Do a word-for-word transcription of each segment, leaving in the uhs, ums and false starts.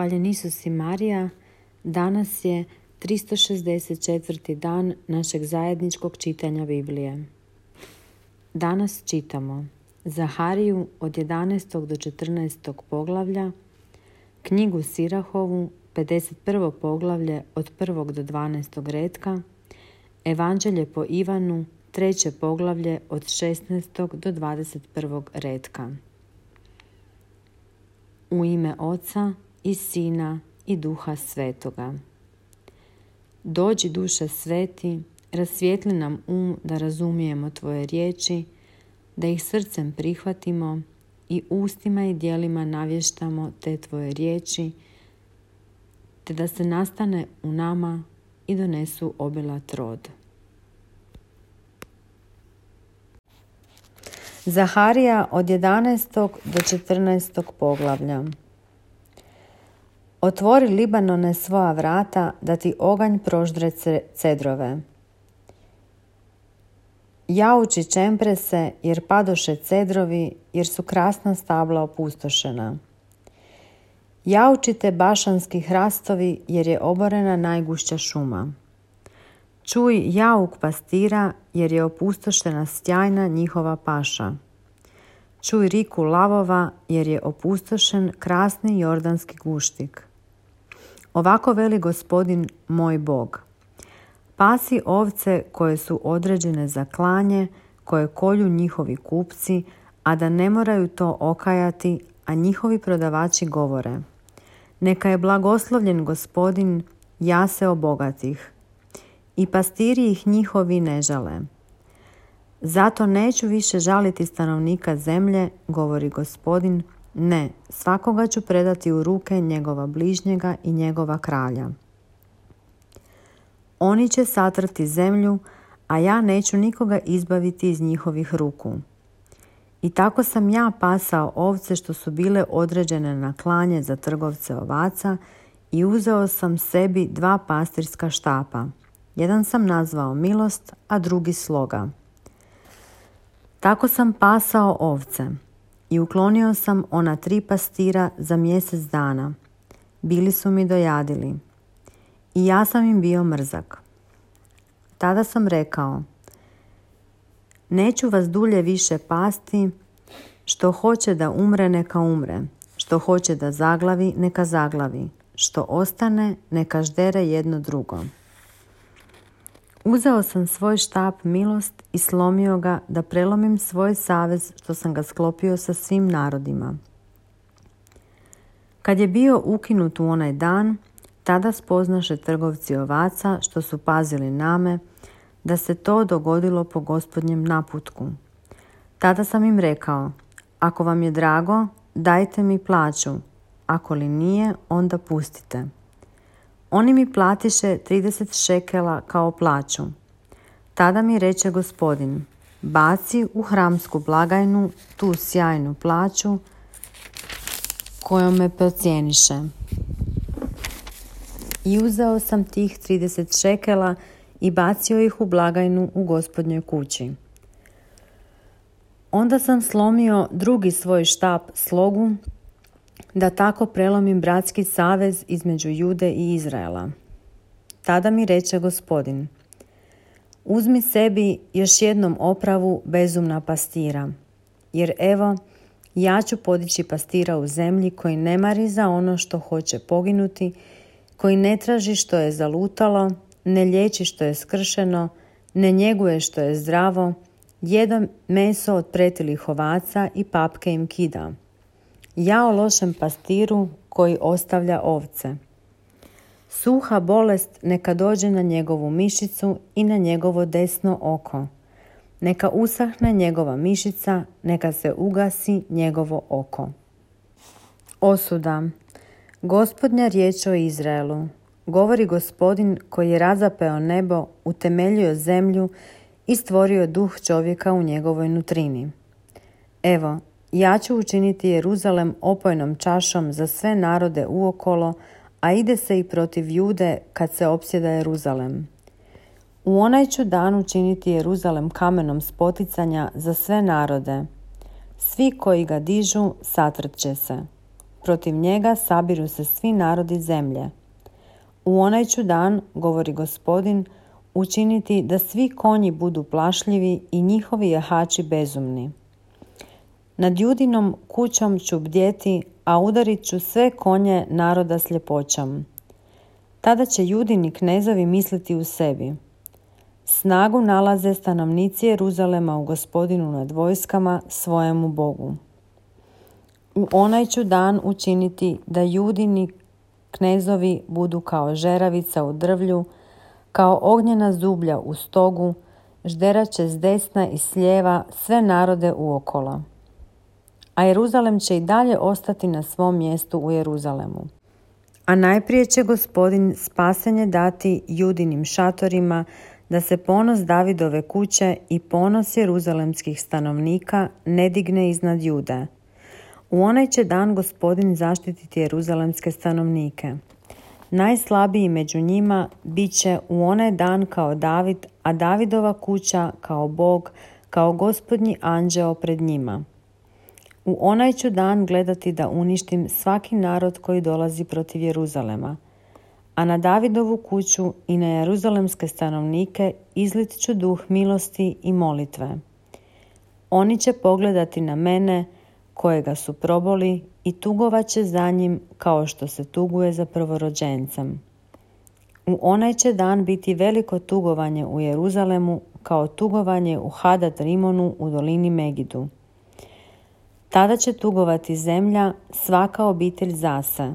Hvaljen Isus i Marija, danas je tristo šezdeset četvrti dan našeg zajedničkog čitanja Biblije. Danas čitamo Zahariju od jedanaestog do četrnaestog poglavlja, knjigu Sirahovu, pedeset prvo poglavlje od prvog do dvanaestog retka, Evanđelje po Ivanu, treće poglavlje od šesnaestog do dvadeset prvog retka. U ime Oca i Sina i Duha Svetoga. Dođi, Duše Sveti, rasvijetli nam um da razumijemo Tvoje riječi, da ih srcem prihvatimo i ustima i djelima navještamo te Tvoje riječi, te da se nastane u nama i donesu obilat rod. Zaharija od jedanaestog do četrnaestog poglavlja. Otvori, Libanone, svoja vrata, da ti oganj proždre cedrove. Jauči, čempre se, jer padoše cedrovi, jer su krasna stabla opustošena. Jaučite, bašanski hrastovi, jer je oborena najgušća šuma. Čuj jauk pastira, jer je opustošena sjajna njihova paša. Čuj riku lavova, jer je opustošen krasni jordanski guštik. Ovako veli Gospodin moj Bog. Pasi ovce koje su određene za klanje, koje kolju njihovi kupci, a da ne moraju to okajati, a njihovi prodavači govore: neka je blagoslovljen Gospodin, ja se obogatih. I pastiri ih njihovi ne žale. Zato neću više žaliti stanovnika zemlje, govori Gospodin, ne, svakoga ću predati u ruke njegova bližnjega i njegova kralja. Oni će satrti zemlju, a ja neću nikoga izbaviti iz njihovih ruku. I tako sam ja pasao ovce što su bile određene na klanje za trgovce ovaca i uzeo sam sebi dva pastirska štapa. Jedan sam nazvao milost, a drugi sloga. Tako sam pasao ovce i uklonio sam ona tri pastira za mjesec dana. Bili su mi dojadili i ja sam im bio mrzak. Tada sam rekao: neću vas dulje više pasti, što hoće da umre neka umre, što hoće da zaglavi neka zaglavi, što ostane neka ždere jedno drugo. Uzeo sam svoj štap milost i slomio ga da prelomim svoj savez što sam ga sklopio sa svim narodima. Kad je bio ukinut u onaj dan, tada spoznaše trgovci ovaca što su pazili name, da se to dogodilo po Gospodnjem naputku. Tada sam im rekao: ako vam je drago, dajte mi plaću, ako li nije, onda pustite. Oni mi platiše trideset šekela kao plaću. Tada mi reče Gospodin: baci u hramsku blagajnu tu sjajnu plaću kojom me procijeniše. I uzeo sam tih trideset šekela i bacio ih u blagajnu u Gospodnjoj kući. Onda sam slomio drugi svoj štap slogu, da tako prelomim bratski savez između Jude i Izraela. Tada mi reče Gospodin: uzmi sebi još jednom opravu bezumna pastira, jer evo, ja ću podići pastira u zemlji koji ne mari za ono što hoće poginuti, koji ne traži što je zalutalo, ne liječi što je skršeno, ne njeguje što je zdravo, jede meso od pretilih ovaca i papke im kida. Jao lošem pastiru koji ostavlja ovce. Suha bolest neka dođe na njegovu mišicu i na njegovo desno oko. Neka usahne njegova mišica, neka se ugasi njegovo oko. Osuda. Gospodnja riječ o Izraelu. Govori Gospodin koji je razapeo nebo, utemeljio zemlju i stvorio duh čovjeka u njegovoj nutrini. Evo, ja ću učiniti Jeruzalem opojnom čašom za sve narode uokolo, a ide se i protiv Jude kad se opsjeda Jeruzalem. U onaj ću dan učiniti Jeruzalem kamenom spoticanja za sve narode. Svi koji ga dižu satrče se. protiv njega sabiru se svi narodi zemlje. U onaj ću dan, govori Gospodin, učiniti da svi konji budu plašljivi i njihovi jahači bezumni. Nad Judinom kućom ću bdjeti, a udarit ću sve konje naroda sljepoćom. Tada će Judini knezovi misliti u sebi: snagu nalaze stanovnici Jeruzalema u Gospodinu nad vojskama, svojemu Bogu. U onaj ću dan učiniti da Judini knezovi budu kao žeravica u drvlju, kao ognjena zublja u stogu, žderat će s desna i s lijeva sve narode uokolo. A Jeruzalem će i dalje ostati na svom mjestu u Jeruzalemu. A najprije će Gospodin spasenje dati Judinim šatorima, da se ponos Davidove kuće i ponos jeruzalemskih stanovnika ne digne iznad Jude. U onaj će dan Gospodin zaštititi jeruzalemske stanovnike. Najslabiji među njima bit će u onaj dan kao David, a Davidova kuća kao Bog, kao Gospodnji anđeo pred njima. U onaj ću dan gledati da uništim svaki narod koji dolazi protiv Jeruzalema, a na Davidovu kuću i na jeruzalemske stanovnike izlit ću duh milosti i molitve. Oni će pogledati na mene, kojega su proboli, i tugovat će za njim kao što se tuguje za prvorođencem. U onaj će dan biti veliko tugovanje u Jeruzalemu, kao tugovanje u Hadad Rimonu u dolini Megidu. Tada će tugovati zemlja, svaka obitelj zase,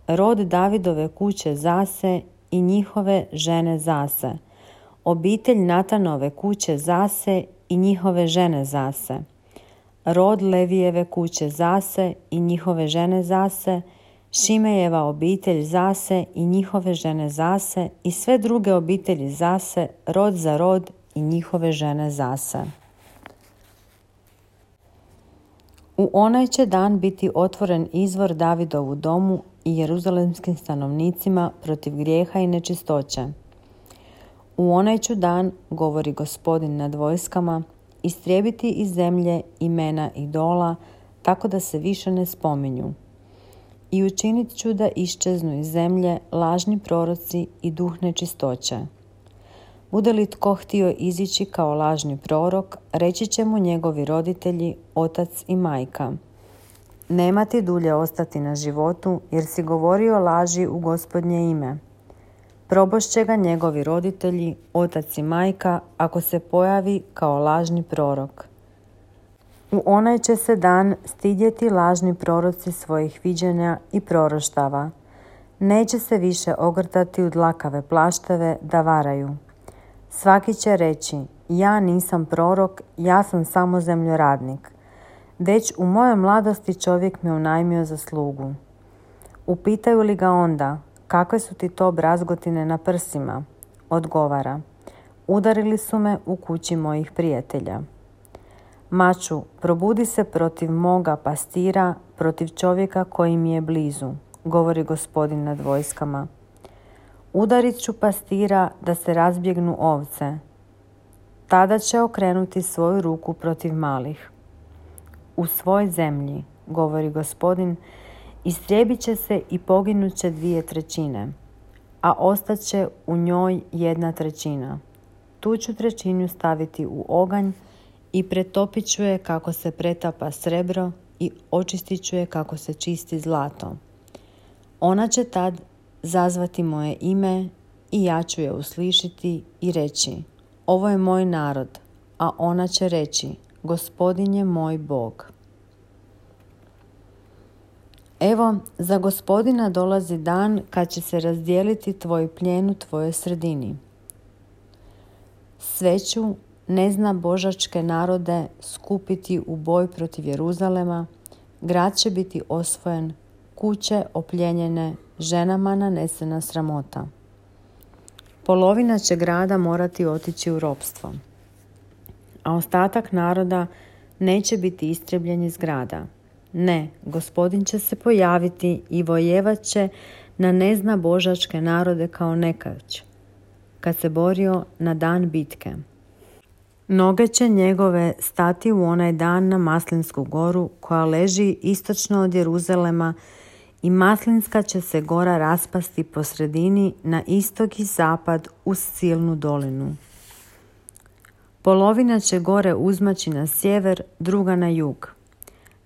rod Davidove kuće zase i njihove žene zase, obitelj Natanove kuće zase i njihove žene zase, rod Levijeve kuće zase i njihove žene zase, Šimejeva obitelj zase i njihove žene zase i sve druge obitelji zase, rod za rod i njihove žene zase. U onaj će dan biti otvoren izvor Davidovu domu i jeruzalemskim stanovnicima protiv grijeha i nečistoće. U onaj ću dan, govori Gospodin nad vojskama, istrijebiti iz zemlje imena idola, tako da se više ne spominju. I učinit ću da iščeznu iz zemlje lažni proroci i duh nečistoće. Bude li tko htio izići kao lažni prorok, reći će mu njegovi roditelji, otac i majka: nema ti dulje ostati na životu, jer si govorio laži u Gospodnje ime. Probošće ga njegovi roditelji, otac i majka, ako se pojavi kao lažni prorok. U onaj će se dan stidjeti lažni proroci svojih viđenja i proroštava. Neće se više ogrtati u dlakave plašteve da varaju. Svaki će reći: ja nisam prorok, ja sam samo zemljoradnik. Već u mojoj mladosti čovjek me unajmio za slugu. Upitaju li ga onda: kakve su ti to brazgotine na prsima? Odgovara: udarili su me u kući mojih prijatelja. Maču, probudi se protiv moga pastira, protiv čovjeka koji mi je blizu, govori Gospodin nad vojskama. Udarit ću pastira da se razbjegnu ovce. Tada će okrenuti svoju ruku protiv malih. U svoj zemlji, govori Gospodin, istrijebit će se i poginut će dvije trećine, a ostaće u njoj jedna trećina. Tu ću trećinu staviti u oganj i pretopit ću je kako se pretapa srebro i očistit ću je kako se čisti zlato. Ona će tad zazvati moje ime i ja ću je uslišiti i reći: ovo je moj narod, a ona će reći: Gospodin je moj Bog. Evo, za Gospodina dolazi dan kad će se razdijeliti tvoj plijen u tvojoj sredini. Sve ću, ne zna božačke narode, skupiti u boj protiv Jeruzalema, grad će biti osvojen, kuće opljenjene, ženama nanesena sramota. Polovina će grada morati otići u ropstvo, a ostatak naroda neće biti istrebljen iz grada. Ne, Gospodin će se pojaviti i vojevat će na nezna božačke narode kao nekać, kad se borio na dan bitke. Noge će njegove stati u onaj dan na Maslinsku goru koja leži istočno od Jeruzalema i Maslinska će se gora raspasti po sredini na istok i zapad uz silnu dolinu. Polovina će gore uzmaći na sjever, druga na jug.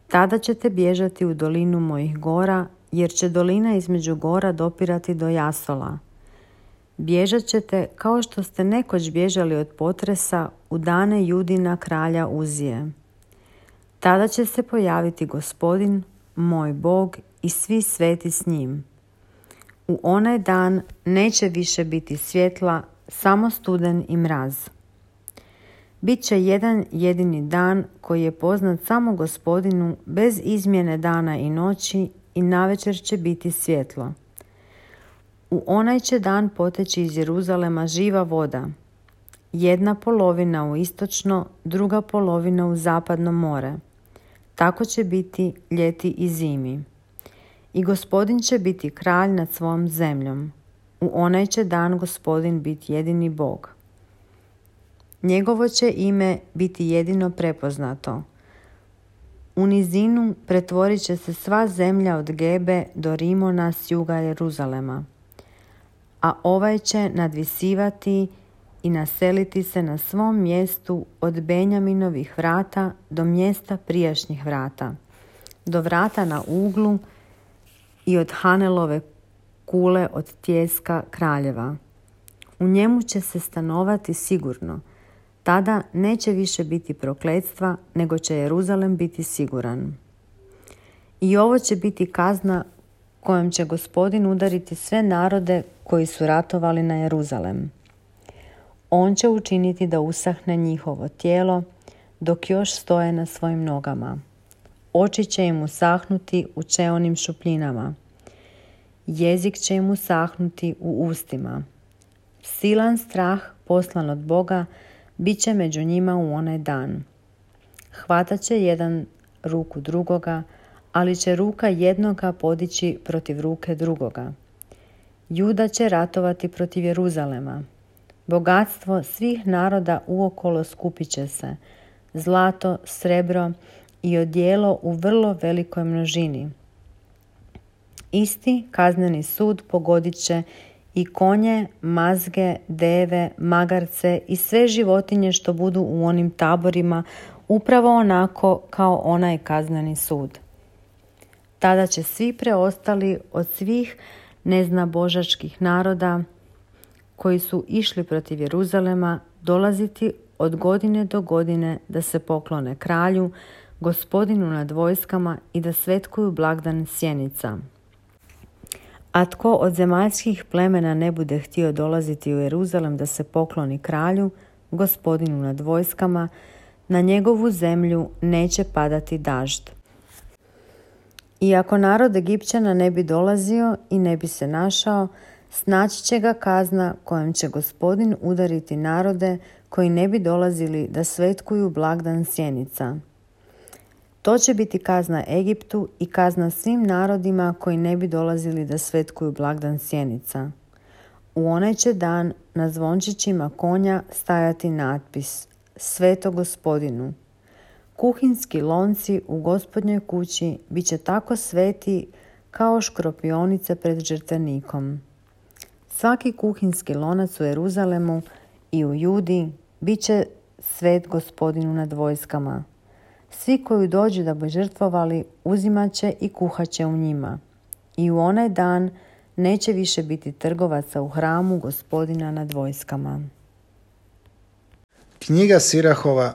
Tada ćete bježati u dolinu mojih gora, jer će dolina između gora dopirati do Jasola. Bježat ćete kao što ste nekoć bježali od potresa u dane Judina kralja Uzije. Tada će se pojaviti Gospodin, moj Bog, i svi sveti s njim. U onaj dan neće više biti svjetla, samo studen i mraz. Biće jedan jedini dan koji je poznat samo Gospodinu, bez izmjene dana i noći, i navečer će biti svjetlo. U onaj će dan poteći iz Jeruzalema živa voda, jedna polovina u istočno, druga polovina u zapadno more. Tako će biti ljeti i zimi. I Gospodin će biti kralj nad svojom zemljom. U onaj će dan Gospodin biti jedini Bog. Njegovo će ime biti jedino prepoznato. U nizinu pretvorit će se sva zemlja od Gebe do Rimona s juga Jeruzalema. A ovaj će nadvisivati i naseliti se na svom mjestu od Benjaminovih vrata do mjesta prijašnjih vrata, do vrata na uglu i od Hanelove kule od tjeska kraljeva. U njemu će se stanovati sigurno. Tada neće više biti prokletstva, nego će Jeruzalem biti siguran. I ovo će biti kazna kojom će Gospodin udariti sve narode koji su ratovali na Jeruzalem. On će učiniti da usahne njihovo tijelo dok još stoje na svojim nogama. Oči će im usahnuti u čeonim šupljinama. Jezik će im usahnuti u ustima. Silan strah poslan od Boga bit će među njima u onaj dan. Hvatat će jedan ruku drugoga, ali će ruka jednoga podići protiv ruke drugoga. Juda će ratovati protiv Jeruzalema. Bogatstvo svih naroda uokolo skupit će se, zlato, srebro i odijelo u vrlo velikoj množini. Isti kazneni sud pogodit će i konje, mazge, deve, magarce i sve životinje što budu u onim taborima, upravo onako kao onaj kazneni sud. Tada će svi preostali od svih neznabožačkih naroda koji su išli protiv Jeruzalema dolaziti od godine do godine da se poklone kralju, Gospodinu nad vojskama i da svetkuju blagdan sjenica. A tko od zemaljskih plemena ne bude htio dolaziti u Jeruzalem da se pokloni kralju, Gospodinu nad vojskama, na njegovu zemlju neće padati dažd. I ako narod Egipćana ne bi dolazio i ne bi se našao, snaći će ga kazna kojom će Gospodin udariti narode koji ne bi dolazili da svetkuju blagdan sjenica. To će biti kazna Egiptu i kazna svim narodima koji ne bi dolazili da svetkuju blagdan sjenica. U onaj će dan na zvončićima konja stajati natpis Sveto Gospodinu. Kuhinski lonci u Gospodnjoj kući bit će tako sveti kao škropionice pred žrtvenikom. Svaki kuhinski lonac u Jeruzalemu i u Judi bit će svet Gospodinu nad vojskama. Svi koji dođu da bi žrtvovali uzimat će i kuhat će u njima. I u onaj dan neće više biti trgovaca u hramu Gospodina nad vojskama. Knjiga Sirahova,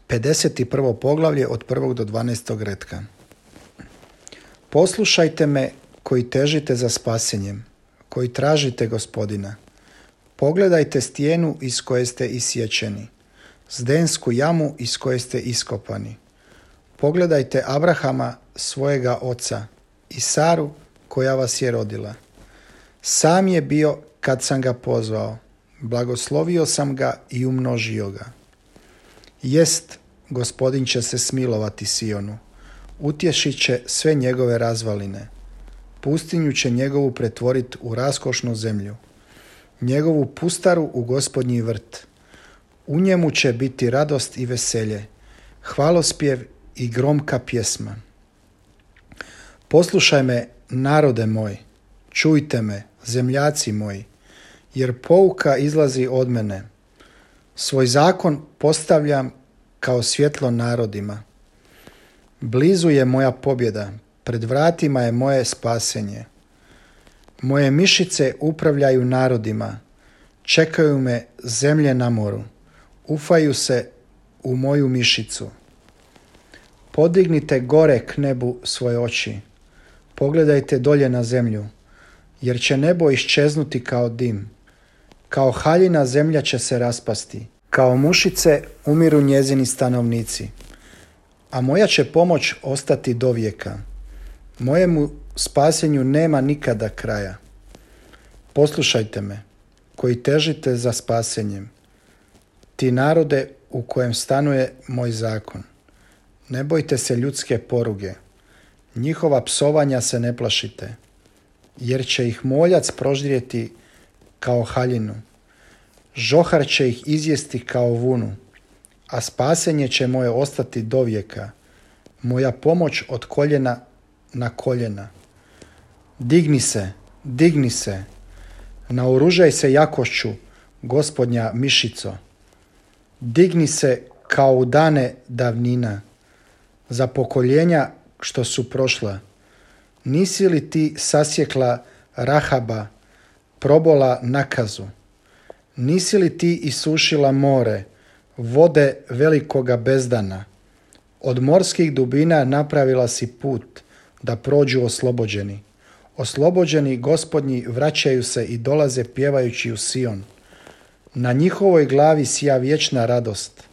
pedeset prvo poglavlje od prvog do dvanaestog retka. Poslušajte me koji težite za spasenjem, koji tražite Gospodina. Pogledajte stijenu iz koje ste isječeni, zdensku jamu iz koje ste iskopani. Pogledajte Abrahama, svojega oca, i Saru, koja vas je rodila. Sam je bio kad sam ga pozvao, blagoslovio sam ga i umnožio ga. Jest, Gospodin će se smilovati Sionu, utješit će sve njegove razvaline. Pustinju će njegovu pretvoriti u raskošnu zemlju, njegovu pustaru u Gospodnji vrt. U njemu će biti radost i veselje, hvalospjev i gromka pjesma. Poslušaj me, narode moj, čujte me, zemljaci moji, jer pouka izlazi od mene. Svoj zakon postavljam kao svjetlo narodima. Blizu je moja pobjeda, pred vratima je moje spasenje. Moje mišice upravljaju narodima, čekaju me zemlje na moru, ufaju se u moju mišicu. Podignite gore k nebu svoje oči, pogledajte dolje na zemlju, jer će nebo iščeznuti kao dim. Kao haljina zemlja će se raspasti, kao mušice umiru njezini stanovnici. A moja će pomoć ostati do vijeka. Mojemu spasenju nema nikada kraja. Poslušajte me, koji težite za spasenjem, ti narode u kojem stanuje moj zakon. Ne bojte se ljudske poruge, njihova psovanja se ne plašite, jer će ih moljac proždrijeti kao haljinu. Žohar će ih izjesti kao vunu, a spasenje će moje ostati do vijeka, moja pomoć od koljena na koljena. Digni se, digni se, naoružaj se jakošću, Gospodnja mišico. Digni se kao u dane davnina, za pokoljenja što su prošla. Nisi li ti sasjekla Rahaba, probola nakazu? Nisi li ti isušila more, vode velikoga bezdana? Od morskih dubina napravila si put da prođu oslobođeni. Oslobođeni Gospodnji vraćaju se i dolaze pjevajući u Sion. Na njihovoj glavi sija vječna radost.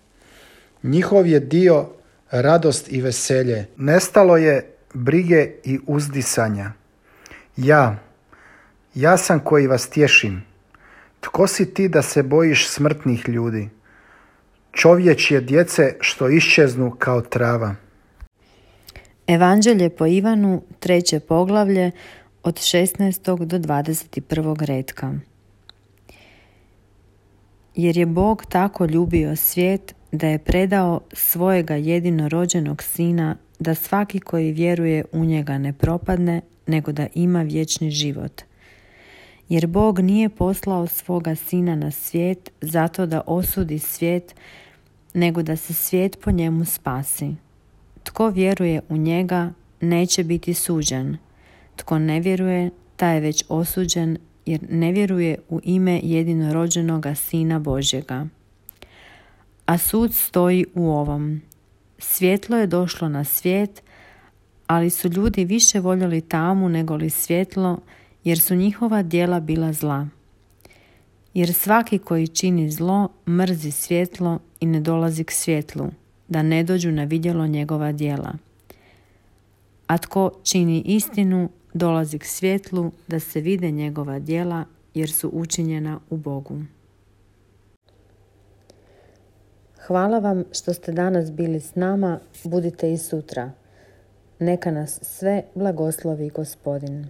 Njihov je dio radost i veselje. Nestalo je brige i uzdisanja. Ja, ja sam koji vas tješim. Tko si ti da se bojiš smrtnih ljudi? Čovječje djece što iščeznu kao trava. Evanđelje po Ivanu, treće poglavlje, od šesnaestog do dvadeset prvog retka. Jer je Bog tako ljubio svijet da je predao svojega jedinorođenog sina, da svaki koji vjeruje u njega ne propadne, nego da ima vječni život. Jer Bog nije poslao svoga sina na svijet zato da osudi svijet, nego da se svijet po njemu spasi. Tko vjeruje u njega neće biti suđen. Tko ne vjeruje, taj je već osuđen, jer ne vjeruje u ime jedinorođenoga Sina Božjega. A sud stoji u ovom. Svjetlo je došlo na svijet, ali su ljudi više voljeli tamu nego li svjetlo, jer su njihova djela bila zla. Jer svaki koji čini zlo mrzi svjetlo i ne dolazi k svjetlu, da ne dođu na vidjelo njegova djela. A tko čini istinu dolazi k svjetlu, da se vide njegova djela, jer su učinjena u Bogu. Hvala vam što ste danas bili s nama, budite i sutra. Neka nas sve blagoslovi Gospodin.